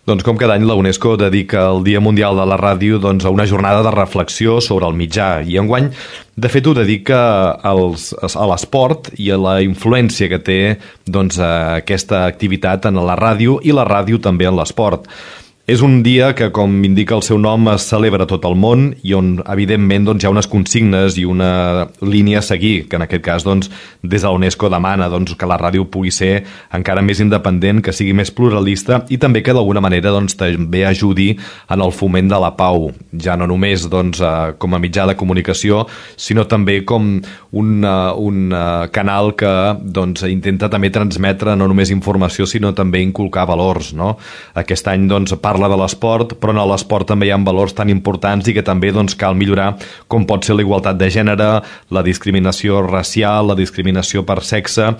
Doncs com cada any la UNESCO dedica el Dia Mundial de la Ràdio a una jornada de reflexió sobre el mitjà i enguany de fet ho dedica a l'esport i a la influència que té aquesta activitat en la ràdio i la ràdio també en l'esport. És un dia que, com indica el seu nom, es celebra a tot el món i on, evidentment, hi ha unes consignes i una línia a seguir, que en aquest cas, des de la UNESCO demana que la ràdio pugui ser encara més independent, que sigui més pluralista i també que, d'alguna manera, també ajudi en el foment de la pau, ja no només com a mitjà de comunicació, sinó també com un canal que intenta també transmetre no només informació, sinó també inculcar valors, no? Aquest any, parla de l'esport, però en l'esport també hi ha valors tan importants i que també cal millorar com pot ser la igualtat de gènere, la discriminació racial, la discriminació per sexe